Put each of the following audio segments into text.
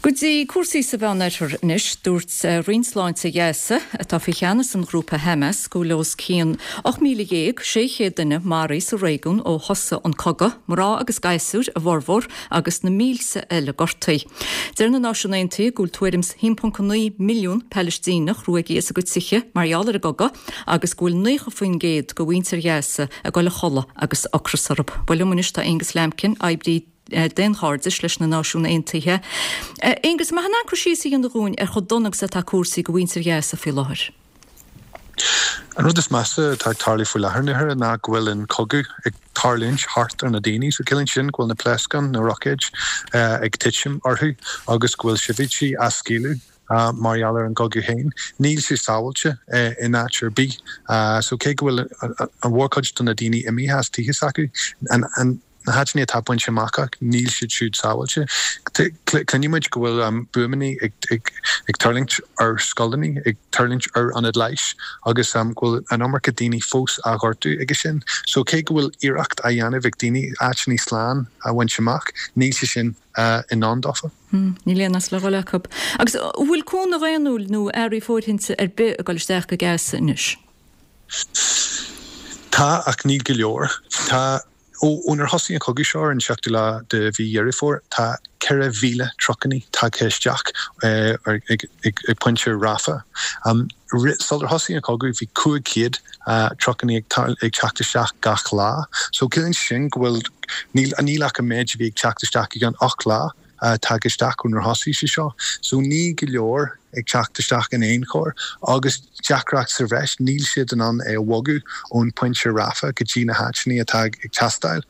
Go dtí cúrsaí sa Mheánoirthear anois. Dúirt Roinn Sláinte Ghaza, atá faoi cheannas an ghrúpa Hamas, go bhfuil os cionn 18,600 duine maraithe sa réigiún ó thosaigh an cogadh, mná agus gasúir a bhformhór, agus na mílte eile gortaithe. Deir na Náisiúin Aontaithe go bhfuil tuairim is 1.9 milliún Palaistíneach ruaigthe as a gcuid tithe mar gheall ar an gcogadh agus go bhfuil 90% de mhuintir Ghaza ag dul a chodladh agus ocras orthu. Bhuel liom anois tá Aonghus Lambkin, oibrí daonchairdis leis na Náisiúin Aontaithe. Aonghus, an mbeifeá in ann cur síos a dhéanamh dhúinn ar chomh dona agus atá cúrsaí do mhuintir Ghaza faoi láthair? An rud is measa atá ag tarlú faoi láthair, Nuala, ná go bhfuil an cogadh ag tarlúint thart ar na daoine. So ciallaíonn sin go bhfuil na pléascáin, na roicéid ag titim orthu agus go bhfuil sibhialtaigh á scaoileadh. mar gheall ar an gcogadh féin. Níl sé sábháilte in áit ar bith. So cé go bhfuil an mhórchuid de na daoine imithe as tithe s'acu, na háiteanna atá bainte amach acu, níl siad siúd sábháilte. Cluineann muid go bhfuil buamanna ag tuirlingt ar scoileanna, ag tuirlingt ar ionaid leighis agus go bhfuil an iomarca daoine fós á ghortú aige sin. So cé go bhfuil iarracht á dhéanamh ag daoine áiteanna slán a bhaint amach, níl sé sin i ndán dófa. Níl aon áit le dhul acu. Agus an bhfuil cúnamh daonnúil nó earraí fóirithinte ar bith ag dul isteach go Gaza anois? Tá, ach níl go leor. Tá, ónar thosaigh an cogadh seo ar an seachtú lá de mhí Dheireadh Fómhair, tá 4,000 trucannaí tagtha isteach ag pointe Rafah. Sular thosaigh an cogadh bhí 500 trucannaí ag teacht isteach gach lá. So ciallaíonn sin go bhfuil, níl, níl ach an méid a bhí ag teacht isteach i gceann 8 lá tagtha isteach ónar thosaigh sé seo. So níl go leor ag teacht isteach in aon chor agus deacracht sa bhreis, níl siad in ann é a bhogadh ón phointe Rafah go dtí na háiteanna atá ag teastáil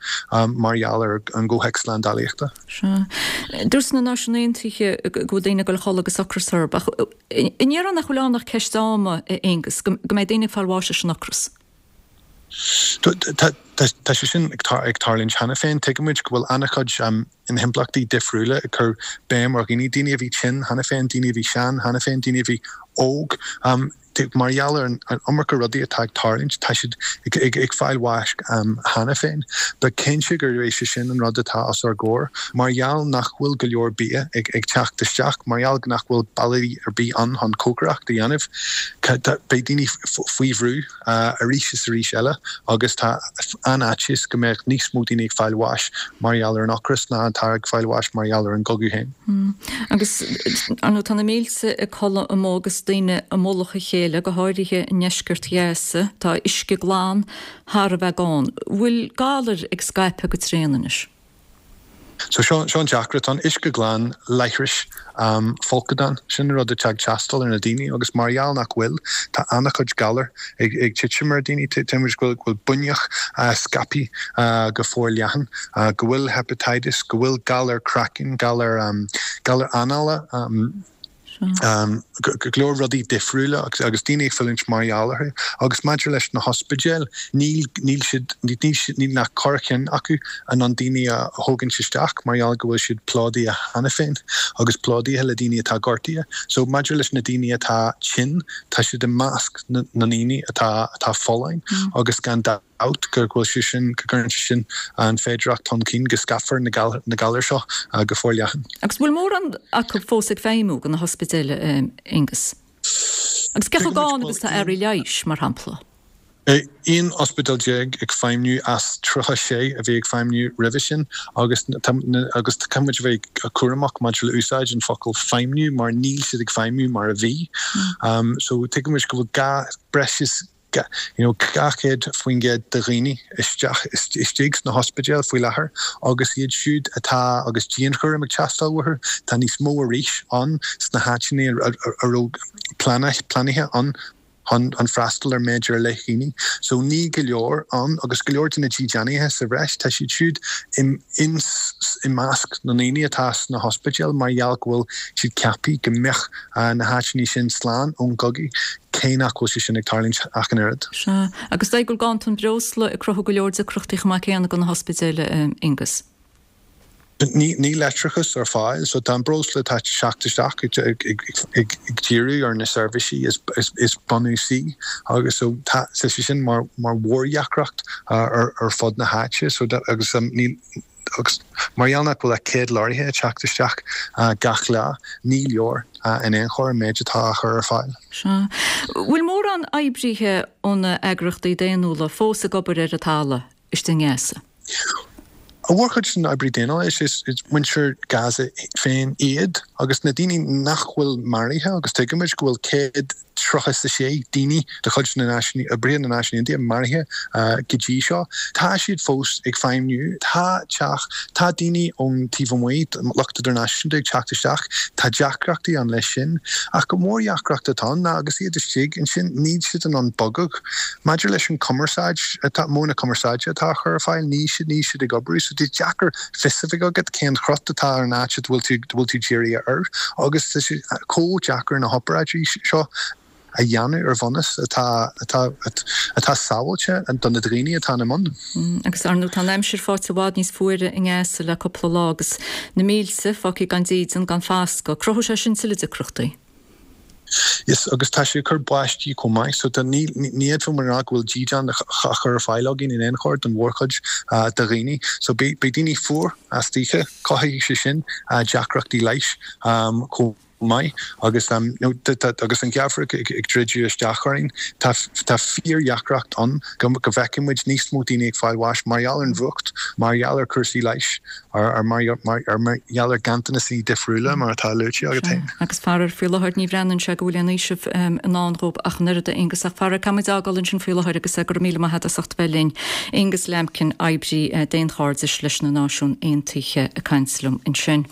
mar gheall ar an gcomhthéacs slándálaíochta. Sea. Dúirt na Náisiúin Aontaithe go bhfuil daoine ag dul a chodladh agus ocras orthu. Ach an ndéarfá nach bhfuil ann ach ceist ama, a Aonghus, go mbeidh daoine ag fáil bháis leis an ocras? Tá sé sin ag tarlúint cheana féin. Tuigimid go bhfuil an-chuid impleachtaí difriúla ag cur béim ar dhaoine, daoine a bhí tinn cheana féin, daoine a bhí sean cheana féin, daoine a bhí óg. Mar gheall ar an iomarca rudaí atá ag tarlúint, tá siad ag fáil bháis cheana féin. Ba cinnte gurb é sin an rud atá os ár gcomhair. Mar gheall nach bhfuil go leor bia ag teacht isteach, mar gheall nach bhfuil bealaí ar bith ann chun cócaireacht a dhéanamh, beidh daoine faoi bhrú. arís is arís eile agus tá an-fhaitíos go mbeadh níos mó daoine ag fáil bháis mar gheall ar an ocras ná atá ag fáil bháis mar gheall ar an gcogadh féin. Agus, ar ndóigh, tá na mílte ag codladh amuigh agus daoine i mullach a chéile, go háirithe i ndeisceart Ghaza. Tá uisce glan thar a bheith gann. Bhfuil galair ag scaipeadh go tréan anois? So seo an deacracht. Tá an uisce glan, leithris, folcadán, sin an rud atá ag teastáil ar na daoine agus mar gheall nach bhfuil, tá an-chuid galar ag titim ar daoine. Tuigimid go bhfuil buinneach scaipthe go forleathan, go bhfuil hepatitis, go bhfuil galar craicinn, galar anála, go leor rudaí difriúla agus daoine ag fulaingt mar gheall orthu. Agus maidir leis na hospidéil, níl, níl siad, níl siad, níl ach corrcheann acu in ann daoine a thógaint isteach mar gheall go bhfuil siad plódaithe cheana féin agus plódaithe le daoine atá gortaithe. So maidir leis na daoine atá tinn, tá siad i measc na ndaoine atá, atá folláin agus gan dabht. dabht go bhfuil sé sin, go gcuireann sé sin an féidearthacht chun cinn go scaipfear na galair seo go forleathan. Agus bhfuil mórán acu fós ag feidhmiú de na hospidéil, a Aonghus? Agus cé chomh gann agus atá earraí leighis, mar shampla? 11 ospidéal ag feidhmiú as 36 a bhí ag feidhmiú roimhe sin agus agus caithfidh muid a bheith cúramach maidir le úsáid an focal feidhmiú mar níl siad ag feidhmiú mar a bhí. So tuigimid go bhfuil gá breis is you know 200% de dhaoine isteach istigh sna hospidéil faoi láthair agus iad siúd atá agus dianchúram ag teastáil uathu, tá níos mó arís ann sna háiteanna a raibh pleanáilte ann chun freastal ar méid ar leith daoine. So ní go leor ann agus go leor de na dídeanaithe sa bhreis, tá siad siúd i measc na ndaoine atá sna hospidéil mar gheall go bhfuil siad ceaptha go mbeadh na háiteanna sin slán ón gcogadh, cé nach bhfuil sé sin ag tarlúint ach an oiread. Sea. Agus is dóigh go bhfuil ganntan breosla ag cruthú go leor deacrachtaí chomh maith céanna do na hospidéil, a Aonghus. Níl leictreachas ar fáil, so tá an breosla atá ag teacht isteach ag díriú ar na seirbhísí is bunúsaí agus so tá sé sin mar mhórdheacracht ar fud na háite so agus níl. Agus mar gheall nach bhfuil ach 100 leoraithe ag teacht isteach gach lá, ní leor in aon chor an méid atá á chur ar fáil. Sea. Bhfuil mórán oibrithe ó na eagraíochtaí daonnúla fós ag obair ar an talamh istigh i nGaza? An mhórchuid den oibrí daonnúla, is muintir Gaza féin iad agus na daoine nach bhfuil maraithe agus tuigimid go bhfuil 136 daoine de chuid na Náisiún, oibrithe na Náisiún Aontaithe maraithe go dtí seo. Tá siad fós ag feidhmniú. Tá teach, tá daoine ón taobh amuigh, lucht idirnáisiúnta ag teacht isteach. Tá deacrachtaí ann leis sin. Ach an mhórdheacracht atá ann ná agus iad istigh ansin, níl siad in ann bogadh. Maidir leis an cumarsáid atá, modh na cumarsáide atá á chur ar fáil, níl siad, níl siad ag oibriú so tá sé deacair fios a bheith agat cén chrot atá ar an áit a bhfuil tú, a bhfuil tú dírithe air agus tá sé chomh deacair na hobráidí seo a dhéanamh ar bhunús atá, atá, atá sábháilte do na daoine atá ina mbun. Agus ar ndóigh tá an aimsir faighte i bhfad níos fuaire i nGaza le cúpla lá agus na mílte fágtha gan dídean, gan fascadh. Cruthóidh sé sin tuilleadh deacrachtaí. Yes, agus tá sé ag cur báistí chomh maith, so tá, ní, ní fhéadfadh muid a rá go bhfuil dídean á chur ar fáil againn in aon chor don mhórchuid de dhaoine. So beidh, beidh daoine fuar istoíche, cothóidh sé sin deacrachtaí leighis chomh maith agus, you know, tá, agus an geimhreadh ag, ag druidim isteach orainn, tá, tá fíordheacracht ann go, go bhfeicfidh muid níos mó daoine ag fáil bháis mar gheall ar an bhfuacht, mar gheall ar chúrsaí leighis. Ar mar gheall ar ghanntanaisí difriúla mar atá luaite agat féin. Agus faraor, faoi láthair ní bhreathnaíonn sé go bhfuil aon fhaoiseamh i ndán dhóibh ach an oiread, a Aonghus. Ach faraor, caithfidh muid fhágáil ansin faoi láthair agus go raibh míle maith agat as ucht a bheith linn. Aonghus Lambkin, oibrí daonchairdis leis na Náisiúin Aontaithe ag caint liom ansin.